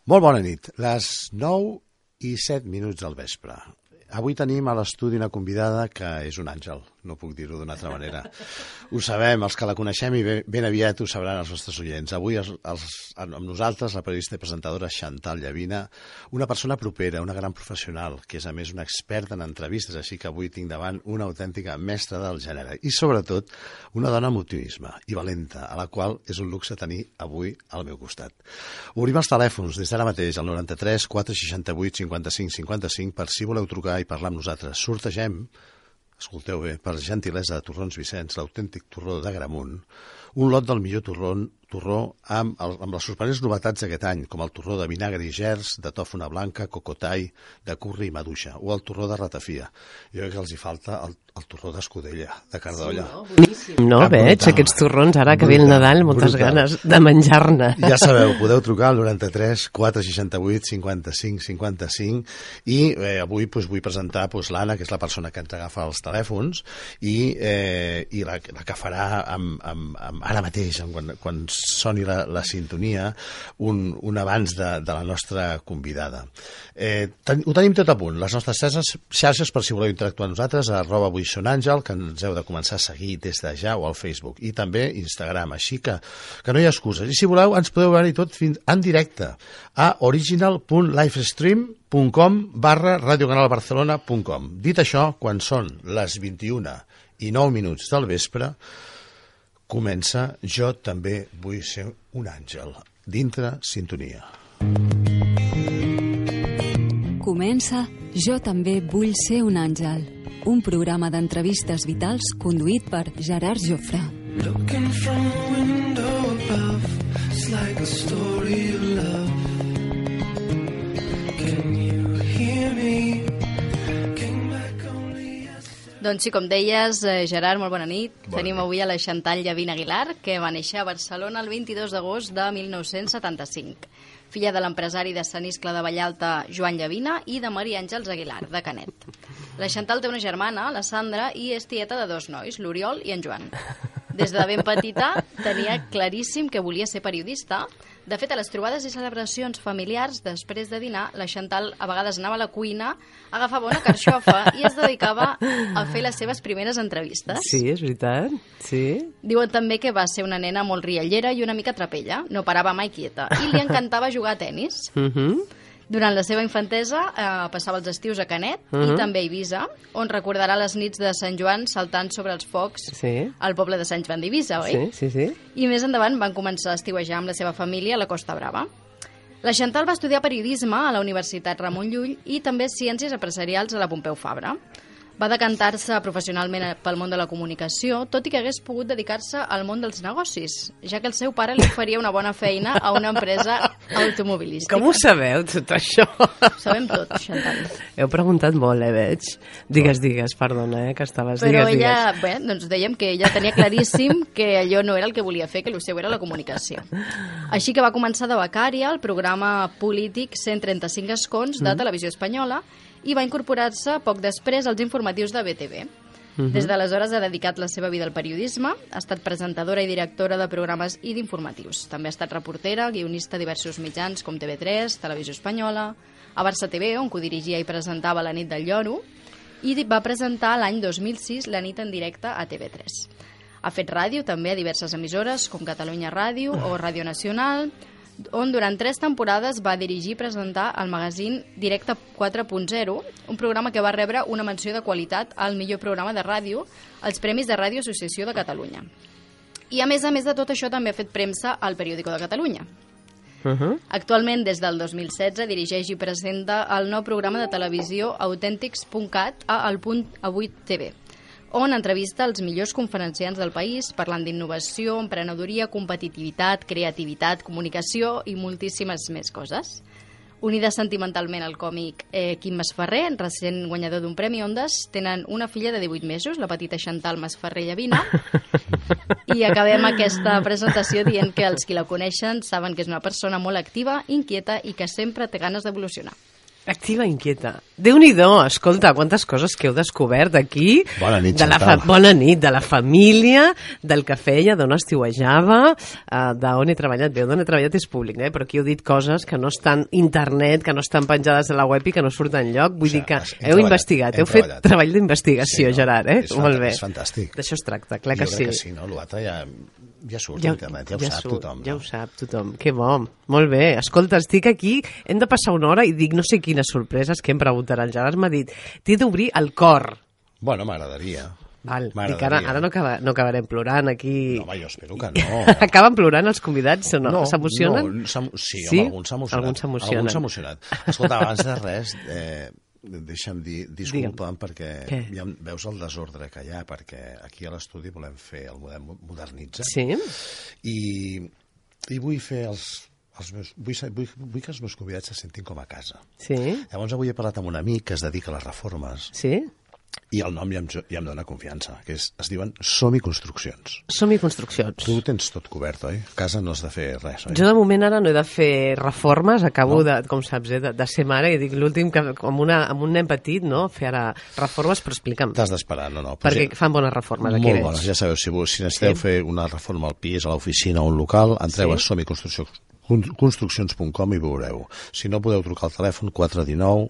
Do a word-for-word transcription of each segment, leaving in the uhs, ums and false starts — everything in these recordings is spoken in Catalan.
Molt bona nit, les nou i set minuts del vespre. Avui tenim a l'estudi una convidada que és un àngel, no puc dir-ho d'una altra manera. Ho sabem, els que la coneixem i ben aviat ho sabran els nostres oients. Avui els, els, amb nosaltres la periodista i presentadora Chantal Llavina, una persona propera, una gran professional, que és a més una experta en entrevistes, així que avui tinc davant una autèntica mestra del gènere i sobretot una dona amb optimisme i valenta, a la qual és un luxe tenir avui al meu costat. Obrim els telèfons des d'ara mateix al noranta-tres quatre seixanta-vuit cinquanta-cinc cinquanta-cinc per si voleu trucar i parlar amb nosaltres. Sortegem, escolteu bé, per gentilesa de Torrons Vicenç, l'autèntic torró d'Agramunt, un lot del millor torró, torró amb, el, amb les sorprenents novetats d'aquest any, com el torró de vinagre i gerds, de tòfona blanca, cocotai, de curri i maduixa, o el torró de ratafia. Jo crec que els hi falta el, el torró d'escudella, de cardolla. Sí, no? Boníssim. No, ah, veig brutal. Aquests torrons, ara que brutal, ve el Nadal, moltes brutal. Ganes de menjar-ne. Ja sabeu, podeu trucar al noranta-tres quatre seixanta-vuit cinquanta-cinc cinquanta-cinc i eh, avui pues, vull presentar pues, l'Anna, que és la persona que ens agafa els telèfons i, eh, i la, la que farà amb, amb, amb, ara mateix, quan, quan soni la, la sintonia, un, un abans de, de la nostra convidada. Eh, ten, ho tenim tot a punt, les nostres xarxes, xarxes per si voleu interactuar amb nosaltres, a arroba avui són àngel, que ens heu de començar a seguir des de ja, o al Facebook, i també Instagram, així que, que no hi ha excuses. I si voleu, ens podeu veure tot fins en directe a original punt livestream punt com barra radiocanalbarcelona punt com. Dit això, quan són les vint-i-una i nou minuts del vespre, comença Jo també vull ser un àngel, dintre sintonia. Comença Jo també vull ser un àngel, un programa d'entrevistes vitals conduït per Gerard Jofre. Looking from a window above, it's like a story of love. Can you hear me? Doncs sí, com deies, Gerard, molt bona nit. Bona Tenim nit. Avui a la Chantal Llavina Aguilar, que va néixer a Barcelona el vint-i-dos d'agost de mil nou-cents setanta-cinc. Filla de l'empresari de Sant Iscle de Vallalta, Joan Llavina, i de Maria Àngels Aguilar, de Canet. La Chantal té una germana, la Sandra, i és tieta de dos nois, l'Oriol i en Joan. Des de ben petita tenia claríssim que volia ser periodista. De fet, a les trobades i celebracions familiars, després de dinar, la Chantal a vegades anava a la cuina, agafava una carxofa i es dedicava a fer les seves primeres entrevistes. Sí, és veritat, sí. Diuen també que va ser una nena molt riallera i una mica trapella, no parava mai quieta, i li encantava jugar a tenis. Mhm. Uh-huh. Durant la seva infantesa eh, passava els estius a Canet uh-huh. i també a Eivissa, on recordarà les nits de Sant Joan saltant sobre els focs sí. al poble de Sant Joan d'Eivissa, oi? Sí, sí, sí. I més endavant van començar a estiuejar amb la seva família a la Costa Brava. La Chantal va estudiar periodisme a la Universitat Ramon Llull i també ciències empresarials a la Pompeu Fabra. Va decantar-se professionalment pel món de la comunicació, tot i que hagués pogut dedicar-se al món dels negocis, ja que el seu pare li oferia una bona feina a una empresa automobilística. Com ho sabeu, tot això? Ho sabem tot, Chantal. Heu preguntat molt, eh, veig. Digues, digues, perdona, eh, que estaves... Però digues, ella, digues. Bé, doncs dèiem que ella tenia claríssim que allò no era el que volia fer, que el seu era la comunicació. Així que va començar de becària al programa polític cent trenta-cinc escons de mm. Televisió Espanyola i va incorporar-se poc després als informatius de B T V. Uh-huh. Des d'aleshores ha dedicat la seva vida al periodisme, ha estat presentadora i directora de programes i d'informatius. També ha estat reportera, guionista a diversos mitjans com T V tres, Televisió Espanyola, a Barça T V, on codirigia i presentava La nit del lloro, i va presentar l'any dos mil sis La nit en directe a T V tres. Ha fet ràdio també a diverses emissores com Catalunya Ràdio o Ràdio Nacional, on durant tres temporades va dirigir i presentar el magazín Directe quatre punt zero, un programa que va rebre una menció de qualitat al millor programa de ràdio als Premis de Ràdio Associació de Catalunya. I a més a més de tot això també ha fet premsa al Periòdico de Catalunya. Uh-huh. Actualment, des del dos mil setze, dirigeix i presenta el nou programa de televisió autèntics punt cat a El Punt Avui T V, on entrevista els millors conferenciants del país parlant d'innovació, emprenedoria, competitivitat, creativitat, comunicació i moltíssimes més coses. Unida sentimentalment al còmic eh, Quim Masferrer, recent guanyador d'un Premi Ondas, tenen una filla de divuit mesos, la petita Chantal Masferrer Llavina, i acabem aquesta presentació dient que els qui la coneixen saben que és una persona molt activa, inquieta i que sempre té ganes d'evolucionar. Activa inquieta. Déu-n'hi-do, escolta, quantes coses que heu descobert aquí. Bona nit, de la fa... Bona nit, de la família, del que feia, d'on estiuejava, uh, d'on he treballat. Bé, d'on he treballat és públic, eh? Però aquí heu dit coses que no estan a internet, que no estan penjades a la web i que no surten enlloc. Vull o sigui, dir que heu treballat, investigat, heu fet treball d'investigació, sí, no? Gerard, eh? És molt bé. És fantàstic. D'això es tracta, clar que jo sí. Jo crec que sí, no? L'altre ja... Ja surt ja, a internet, ja ho ja sap surt, tothom. Ja no? ho sap tothom, que bo, molt bé. Escolta, estic aquí, hem de passar una hora i dic no sé quines sorpreses que em preguntaran. Gerard m'ha dit, t'he d'obrir el cor. Bueno, m'agradaria. Val, dic, ara, ara no, acaba, no acabarem plorant aquí. No, home, jo espero que no. Acaben plorant els convidats o no? no S'emocionen? No, sí, sí? home, alguns s'emocionen. Alguns s'emocionen. Alguns s'emocionat. Escolta, abans de res... Eh, deixa'm dir, disculpa'm, perquè ja veus el desordre que hi ha, perquè aquí a l'estudi volem fer el model Modernitza. Sí. I, i vull fer els, els meus, vull, vull, vull que els meus convidats se sentin com a casa. Sí. Llavors avui he parlat amb un amic que es dedica a les reformes. Sí. I el nom ja em, ja em dona confiança, que és, es diuen Som-hi Construccions. Som-hi Construccions. Tu tens tot cobert, oi? A casa no has de fer res, oi? Jo de moment ara no he de fer reformes, acabo, no? de, com saps, eh, de, de ser mare, i dic l'últim, que amb, una, amb un nen petit, no?, fer ara reformes, però explica'm. T'has d'esperar, no, no. Perquè ja, fan bones reformes, aquí molt bones, ja sabeu, si, si necessiteu sí. fer una reforma al pis, a l'oficina o un local, entreu sí. a som hi construccions punt com i veureu. Si no, podeu trucar al telèfon quatre cents i dinou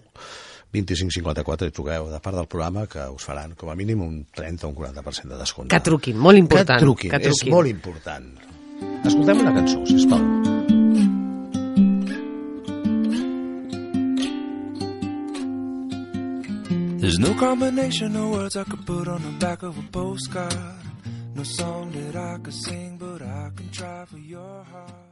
vint-i-cinc cinquanta-quatre i truqueu de part del programa, que us faran com a mínim un trenta o un quaranta per cent de descompte. Que truquin, molt important. Que truquin, que truquin. És molt important. Escoltem una cançó, sisplau. There's no combination of words I could put on the back of a postcard. No song that I could sing, but I can try for your heart.